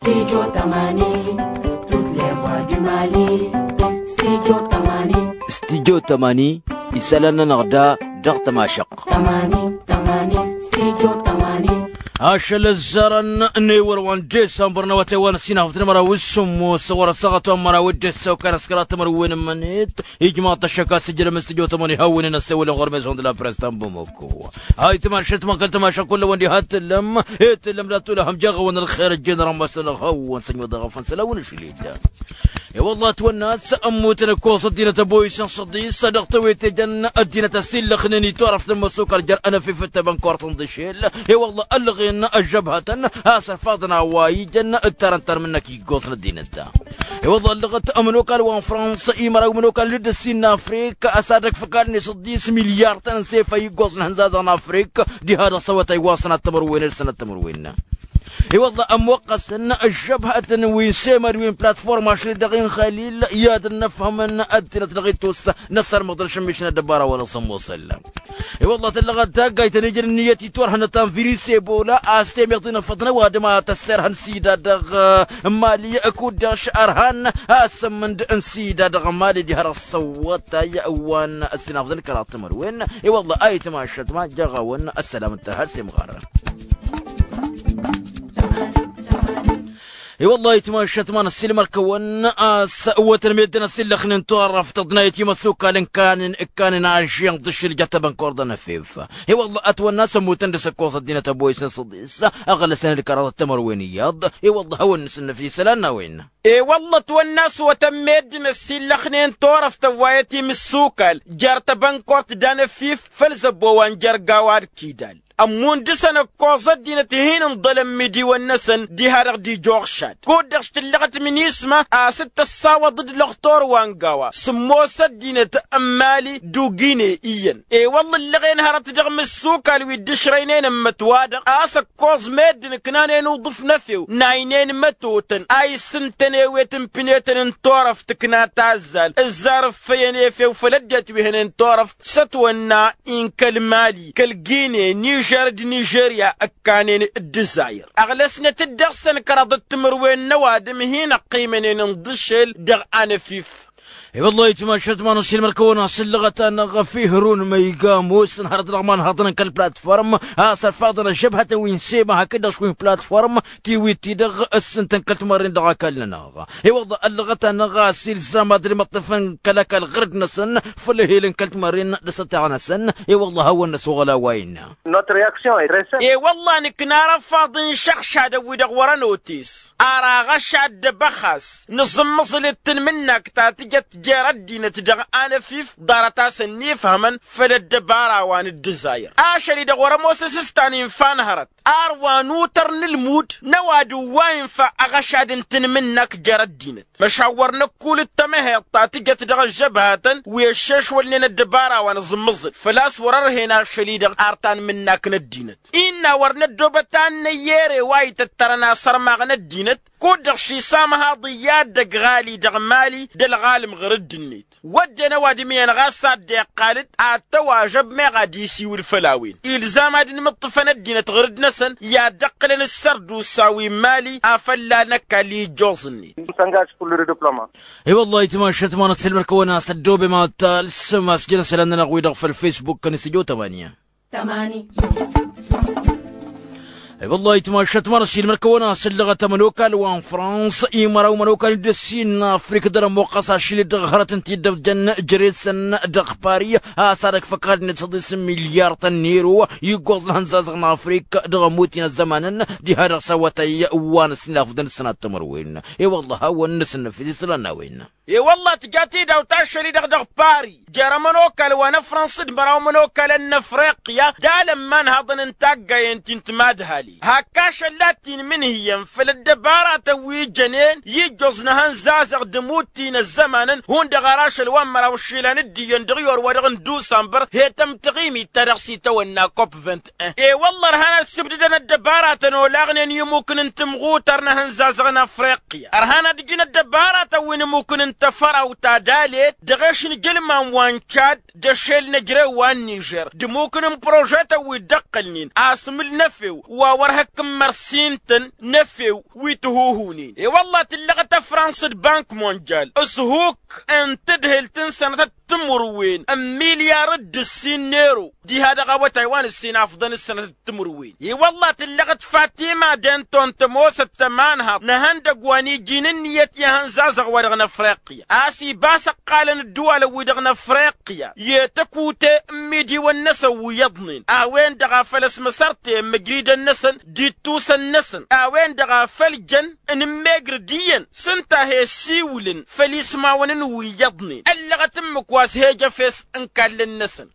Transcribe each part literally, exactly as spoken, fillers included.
Studio tămani, toutes les voix du Mali. Studio tămani. Studio tămani, isălan-nănăɣ da dăɣ-tămašăɣt. Tămani, tămani, studio tămani. Ašăl ăzzarăn n-ewăr wa n-desămbăr n-awătay wa n-ăssinafăt n-măraw s-sǝmmos ɣur-ăssaɣăt wa n-măraw d-ăssăwkan ăskăra tămărwen n-mănet. Ijmaḍ-t ăššăk a-s ǝjrăm s-tijot ămăni hawăn-in ăssewălăn ɣur-mezon d-la press ta n-bamăko. Ayǝtmašăt ma kăl-tămašăk kull-awăn diha t-tǝllăm. T-tǝllăm d-ad-tulăhăm jaɣ-awăn ălxer ăjjeen rămăsăn ălxawăn s-ănnuḍăɣ afăn s-ălawăn ašli-dd. I-wălla ătwănna a-s ămmutăn ǝkkoẓ ăddinăt ăboyǝsăn s-ăḍḍis dăɣ-tewete jăn ăddinăt ăsillăxnen itorăft n-imăsukal jer-anăf ifǝttăbăn korăt n-dăšel. I-wălla ăllăɣen ăžžăbhătăn a-s ărfaḍăn a-wa ijăn ǝttarăn tanmǝnnăk iggoẓ n-ăddinăt. I-wălla ăllăɣăt ămănokal wa n-frăns imăraw imănokal n-dd-ăssin n-afrik a-s ad-ăkf ăkall-net ăḍḍis milyar-tăn n-sefa iggoẓ n-ihănzazăɣ n-afrik. Diha dăɣ-s awătay wa n-sănat tămărwen d-sănat tămărwen. I-wălla ămmuqqăsăn ăžžăbhătăn wi n-semăd wi n-platform ašăl-i-dăɣ inxalil i-ad-ănnăfhămăn ăddinăt dăɣ-ittus n-ăssărmăḍăn šămmišăn ăddăbara wa n-asămmosăl. I-wălla tăllăɣăt taggayt ănijăn ǝnniyăt iturhănăt ta n-virus ebola a-s temeḍt-in ăffăḍăn ăwadǝm a tăsserhăn sida dăɣ-mali. Kud-dăɣ š-ărhan a-s ămmǝnd n-sida dăɣ-mali diha dăɣ-s ăwwătay wa n-ăssinafḍăn kăraḍ timărwen. I-wălla ayǝtmašăt ma jăɣ-awăn ăssălam n-tărha d-semɣar. I-wălla ayǝtmašăt ma n-ăssiilmăr-kăwăn a-s ǝwwătăn meddǝn ăsillăxnen turăft tăḍnayăt i-imăsukal n-kanen ǝkkanen ažžen d-ašǝl jătăbăn kăwăr d-anăfef. I-wălla ătwănna a-s ămmutăn dăɣ-s ǝkkoẓ ăddinăt ăboyǝsăn s-ăḍis. Ăɣlăsăn d-kăraḍăt timărwen iyyăḍ. I-wălla hawăn-nǝsǝnnăf isălan n-a-wen. I-wălla ătwănna a-s ǝwwătăn meddǝn ăsillăxnen turăft ăwwayăt imǝssukal jer-tăbănkort d-anăfif făll-zăbbo wa n-jer-gawa d-kidal. Ămmun dăɣ-săn ǝkkoẓ ăddinăt hin-ǝnḍălăn imidiwăn-năsăn diha-dăɣ d-ija uɣšad kud-dăɣ š-tǝllăɣăt minisma a-s t-tăssawăḍ d-lăxtor wa n-gawa sǝmmos ăddinăt n-mali d-ugine iyyăn. I-wălla ǝllăɣen hărăt dăɣ-imǝssukal wi dd-ǝšrăynen ǝmmǝt-wa-dăɣ a-s ǝkkoẓ meddǝn ǝknanen uḍǝf n-efew n-aynen mătotăn a issǝntăn ewet n-pinetăn n-turăft tǝkna tazzal ǝzzar ǝffăyăn efew făll-ăddinăt wi hănen turăft s-ătwănna inkăl mali kăl-gine nižer d-nižerya ǝkkanen d-dizayr. Ăɣlăsnăt-dd dăɣ-săn kăraḍăt timǝrwen n-ăwadǝm hin-ăqqimănen n-dăšel dăɣ-anăfif. I-wăllah itmašăt ma n-ăssiilmăr-kăwăn a-s ǝllăɣăt-anăɣ ăfihărun ma iga ămoosăn hărăt dăɣ-imanhaḍăn n-kăl-platform a-s ărfaḍăn ăžžăbhătăn wi n-sema hakd-dăɣ wi n-platform tiwit-ti-dăɣ ǝssǝntăn kăl-timărren dăɣ-ăkall-nănăɣ. I-wăllah ăllăɣăt-anăɣ a-s ilzam ad-dd-imǝṭṭǝfăn kăl-ăkall ɣǝrǝd-năsăn făll-ehel n-kăl-timărren d-asăteɣ-năsăn. I-wăllah a hawăn-năsoɣăl a-wa innă. Notre réaction est très simple. I-wăllah nǝkna arăfaḍ n-išăɣšadăn wi-dăɣ wărăn otes ar aɣăšad d-abăxas nǝẓǝmmăẓǝl d-tanmǝnnakt ta tǝjăt jer-ăddinăt dăɣ-anăfif ḍarăt-asăn n-ifhămăn făll-ăddăbara wa n-ǝddǝzayăr ašăl-i-dăɣ wăr-ămoos asǝstan infa n-hărăt ar wa n-utăr n-ǝlmud n-ăwadǝm wa infa aɣăšad n-tanmǝnnakt jer-ăddinăt. Măšan wăr năkkulǝt tamăheḍt ta tǝjăt dăɣ-ăžžăbhatăn wi ăššešwălnen ăddăbara wa n-aẓǝmmăẓǝl făl-a-s wăr-ărhen ašăl-i-dăɣ ar tanmǝnnak n-ăddinăt. Innă wăr năddoobăt a n-năyyere wa ităttărăn asărmaɣ n-ăddinăt kud-dăɣ šisamăhaḍ iyyăt dăgg-ɣali dăɣ-mali d-ălɣalăm ɣur-dd-net. Wădden ăwadǝm iyyăn ɣas a dd-iqqal-dd ad-tăwažăb meɣ ad-isiwǝl făll-a-wen ilzam ad-inmǝṭṭǝfăn ăddinăt ɣur-dd-năsăn i-ad-dd-ǝqqǝlăn ǝssărdusa wi n-mali afălla n-ăkall i-ijjoẓ-net. I-wăllah itmašăt ma n-ăssiilmăr-kăwăn a-s tăddoobem ad-talsăm a-s jăn isălan-nănăɣ-wi-dăɣ făll-facebook-kăn s-tijot ămanya. I-wăllah itmašăt ma n-ăssiilmăr-kăwăn a-s ǝllăɣăt ămănokal wa n-frans imăraw ămănokal n-dd-ăssin n-afrik dăr-ămmoqqăs ašil-i-dăɣ hărăt n-tiddăft jăn jere-săn dăɣ-pari a-s ad-ăkf ăkall-net s-ăḍis n-milyar-tăn n-ero iggoẓ n-ihănzazăɣ n-afrik dăɣ-ămmutin ăzzămanăn. Diha dăɣ-s awătay wa n-ăssinafăḍăn d-sănat timărwen. I-wăllah a hawăn-nǝsǝnnăfis isălan n-a-wen. I-wăllah tǝja tidawt ašăl-i-dăɣ dăɣ-pari jer-ămănokal wa n-ăfrăns d-măraw ămănokalăn n-afriqya d-alămman haḍăn n-taggayen ti n-timadhali hak ašăl-la t-inmǝnhǝyăn făll-ăddăbaratăn wi jănen i-ǝjjoẓ n-ehăn zazăɣ d-ămutti n-ăzzămanăn hundăɣ ar ašăl wa n-măraw ǝššilan d-iyyăn dăɣ-i orwa-dăɣ n-dusănbăr he-tăm taɣimit ta dăɣ-s itawănna kopvent. I-wălla ărhan ad-sǝbdǝdăn ăddăbaratăn olaɣnen i-imukǝn n-tǝmɣutăr n-ehăn zazăɣ n-afriqya ărhan ad-ǝjǝn ăddăbaratăn wi n-imukǝn n tăfăraw ta dalet dăɣ-ešǝnjǝlman wa n-čad d-ašel n-ejrew wa n-nižer d-imukǝn n-prožetăn wi dd-ăqqălnen asmǝl n-efew wa wăr hăkkǝmmăr s-intăn n-efew wi tǝhuhunen i-wălla tǝllăɣăt ăfrans d-bank monjal s-huk n-tǝdhǝlt n-sănătăt timǝrwen n-milyar d-ǝssin n-ero diha dăɣ-awătay wa n-ǝssin afḍăn s-sănătăt timǝrwen i-wălla tǝllăɣăt fatima denton tămoosăt tămanhaḍt n-ehăndăgg wa n-iji n-ǝnniyăt i-ehăn zazăɣ wa dăɣ-năfriqya a-s ibas ăqqalăn ǝddǝwalăn-wi-dăɣ n-afriqya i-tăkute n-imidiwăn-năsăn wi iyyăḍnen a-wen-dăɣ a făl ăsmăsărten măjridăn-năsăn d-ittusăn-năsăn a-wen-dăɣ a făl jăn n-ǝmmegr d-iyyăn s-ǝnta a he-ăssiwǝlăn făll-ismawăn n-wi iyyăḍnen ăllăɣăt ǝmmǝk wa s-he-ăj efes n-ikallăn-năsăn.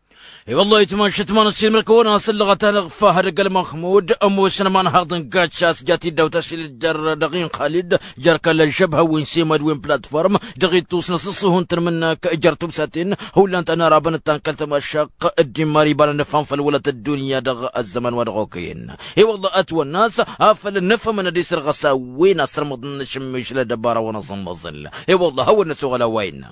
I-wăllah itmašăt ma n-ăssiilmăr-kăwăn a-s ăllăɣăt-anăɣ fahăd ăgg-ălmăxmud ămoosăn ămanhaḍ n-gacas jat-dd-awt ašil jer-dăɣ-i n-xalid jer-kăl-ălžăbha wi n-semad wi n-platform dăɣ-ittus n-asǝṣṣuhu n-tanmǝnnak jer-tubsaten hullan ta n-arabăn d-tankălt tamašăq dd-immar ibanăn ǝfham făll-wălăt ăddunya dăɣ-ăzzăman wa dăɣ-okăyăn. I-wăllah ătwănna a-s afăl nǝfhămăn ad-isărɣăs a-wen asărmăḍăn n-ašǝmmišǝl ăddăbara wa n-aẓǝmmăẓǝl. I-wăllah hawăn-năsoɣăl a-wa innă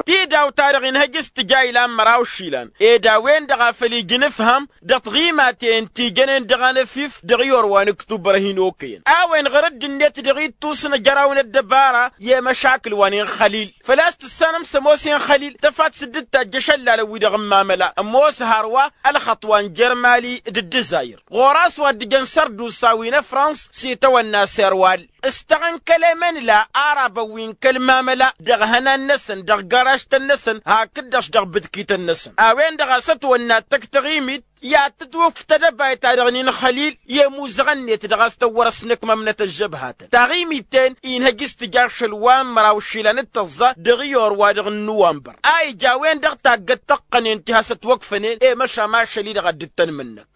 tidawt-ta-dăɣ inhăj s-tǝja ilan măraw išilan ed a-wen-dăɣ a făl ija ǝnǝfham dăɣ-tiɣimaten ti jănen dăɣ-anăfif dăɣ-iyor wa n-ǝktubăr a hin-okăyăn a-wen ɣur-dd-net dăɣ-ittus n-ajăraw n-ăddăbara i-măšakǝl wa n-inxălil făl-a-s tǝssanăm s-ămoos inxălil tăfat s-dd-tajj ašăllalăn-wi-dăɣ n-mamăla ămoos hărwa ălxăṭṭ wa n-jer-mali d-ǝddǝzayr ɣur-a-s wa dd-ijăn sărdusa wi n-ăfrans s-itawănna serwal s-tăɣ n-kăl-emănla arabăn wi n-kăl-mamăla dăɣ-ihănan-năsăn dăɣ-garažtăn-năsăn hakd-dăɣ-s dăɣ-bǝtkităn-năsăn a-wen-dăɣ a-s ătwănna tăkk taɣimit i-ad-tǝtwǝkf tedăbayt-ta-dăɣ n-inxălil i-imuzăɣăn-net dăɣ-a-s tăwwăr-ăsnăkmăm-năt ăžžăbhatăn taɣimit-ten inhăj s-tǝja ašăl wa n-măraw išilan d-tăẓẓa dăɣ-iyor-wa-dăɣ n-nuwănbăr a ija a-wen-dăɣ taggăt tăqqănen ti has-ătwăkfănen i-măšan ašăl-i-dăɣ ad-dd-tăn-mǝnnăk.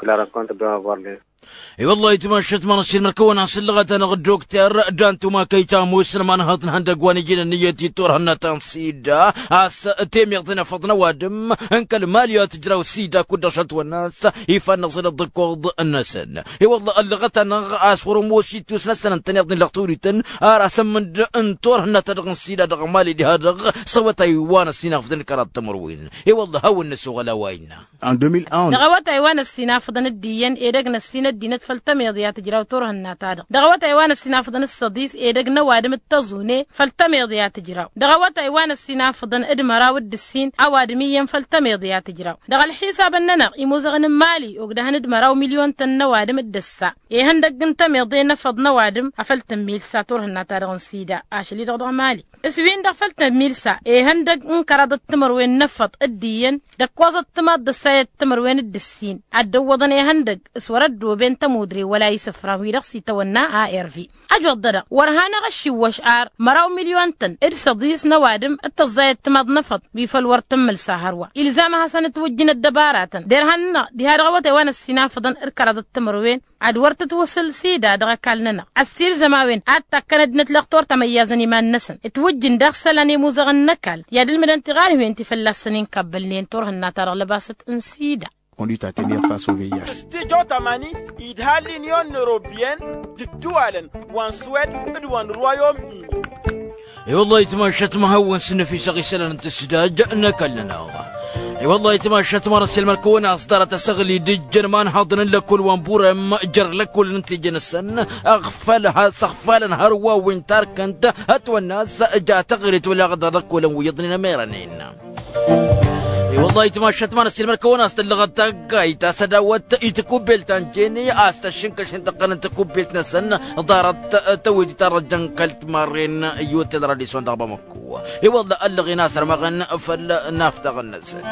I-wăllah itmašăt ma n-ăssiilmăr-kăwăn a-s ǝllăɣăt-anăɣ dd-okter dantuma kăy-ta ămoosăn ămanhăḍ n-ihăndăgg wa n-ijinăn iyyăt i-turhǝnna ta n-sida a-s temiḍt n-efăḍ n-ăwadǝm n-kăl-mali a tǝjraw sida kud-dăɣ šătwănna a-s ifannăẓ d-ăḍḍǝkkoḍ-năsăn. I-wălla ăllăɣăt-anăɣ a-s wăr-ămoos ittus-năsăn ǝntăneḍ-in lăɣ tawrit-tăn ar asǝmmǝnd n-turhǝnna-ta-dăɣ n-sida dăɣ-mali diha-dăɣ s-awătay wa n-ăssinafḍăn d-kăraḍ timǝrwen. I-wălla hawăn-năsoɣăl a-wa innă. Dăɣ-awătay wa n-ăssinafḍăn d-iyyăn edăgg n-ăssin ăddinăt făll-tămiḍe a tǝjraw turhǝnna-ta-dăɣ dăɣ-awătay wa n-ăssinafḍăn d-săḍis edăgg n-ăwadǝm d-tăẓune făll-tămiḍe a tǝjraw dăɣ-awătay wa n-ăssinafḍăn d-măraw d-ǝssin ăwadǝm iyyăn făll-tămiḍe a tǝjraw dăɣ-ălḥisabăn-nănăɣ imuzăɣăn n-mali ogdăhăn d-măraw milyon-tăn n-ăwadǝm d-ǝssa ihăndăgg n-tămiḍe n-efăḍ n-ăwadǝm afăl tǝmmilsa turhǝnna-ta-dăɣ n-sida ašăl-i-dăɣ dăɣ-mali. S-win-dăɣ făll-tămmilsa ihăndăgg n-kăraḍăt timărwen n-efăḍ d-iyyăn d-ăkkoẓăt timaḍ d-ăssayăt timărwen d-ǝssin ad-dd-ăwwăḍăn ihăndăgg s-wăr-ăddooben tămudre wăla isǝfran-wi-dăɣ s-itawănna arv. Ăjwăḍ-dăɣ wăr hanăɣ-ăššiwwăš ar măraw milyon-tăn d-săḍis n-ăwadǝm d-tăẓẓayăt timaḍ n-efăḍ wi făl wăr tǝmmǝlsa hărwa ilzam ad-hasăn-ǝtwǝjj n-ăddăbaratăn derhan-nănăɣ diha dăɣ-awătay wa n-ăssinafăḍăn d-kăraḍăt timărwen ad-wăr tǝtwǝsǝl sida dăɣ-ăkall-nănăɣ ăssiilzăm a-wen ad-takkăn ăddinăt lăxtur tămăyyazăn iman-năsăn ǝtwǝjjǝn daɣ isălan i-imuzăɣăn n-ăkall i-ad-ǝlmǝdăn tiɣarhiwen ti fălla-săn inkabbălnen turhǝnna-ta-dăɣ lăbasăt n-sida. Conduite à tenir face au V I H. Stijo tamani idha l-inyon n-europyen d-ǝddǝwalăn wa n-swed d-wa n-rwayom-ini. I-wăllah itmašat ma hawăn-sǝnnăfisăɣ isălan n-tǝsdaj n-ăkall-nănăɣ. I-wăllah itmašat ma n-ăssiilmăr-kăwăn a-s ḍarăt asăɣli d-ǝjjăn imanhaḍăn n-lăkkol wa n-burem jer-lăkkolăn n-teje-năsăn ăɣfăl has-ăɣfalăn hărwa wi n-tarkănt ătwănna a-s ja taɣrit wăla ɣăḍa lăkkolăn wi iyyăḍnen ămerănen. I-wăllah itmašat ma n-ăssiilmăr-kăwăn a-s tăllăɣăt taggayt a-s ădawăt i-tăkubbelt ta n-jene a-s tăššǝnkăšnen tăqqăn n-tăkubbelt-năsăn ḍarăt tăwedit arăjăn kăl-timarren i-otel radison dăɣ-bamăkku. I-wălla ăllăɣen a-s ărmăɣăn făll-naftaɣăn-năsăn.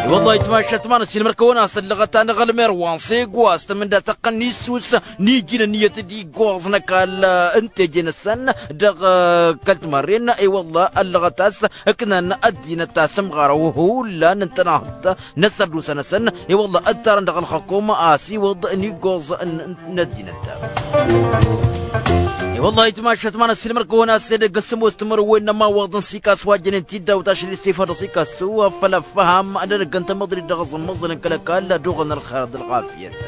I-wălla itmašat ma n-ăssiilmăr-kăwăn a-s ăllăɣăt-anăɣ ălmer wa n-sego a-s tămǝnda tăqqăn n-issus n-iji n-ǝnniyăt d-iggoẓ n-ăkall n-teje-năsăn dăɣ-kăl-timarren. I-wălla ăllăɣăt a-s ǝknan ăddinăt asǝmɣarăw hullan ǝntănăhăḍ n-ăssărdusa-năsăn. I-wălla ǝttarăn dăɣ-ălxăkum a-s iwǝḍ n-iggoẓ n-ăddinăt. I-wălla itmašat ma n-ăssiilmăr-kăwăn a-s edăgg n-sămoos timǝrwen n-ămawăḍ n-sikas wa jănen tidawt ašăl istifa dăɣ-sikasu făll-ăffăham n-edăgg n-tamăḍrit dăɣ-aẓǝmmăẓǝl n-kăl-ăkall ad-oɣăn ălxer d-ălɣafyăt.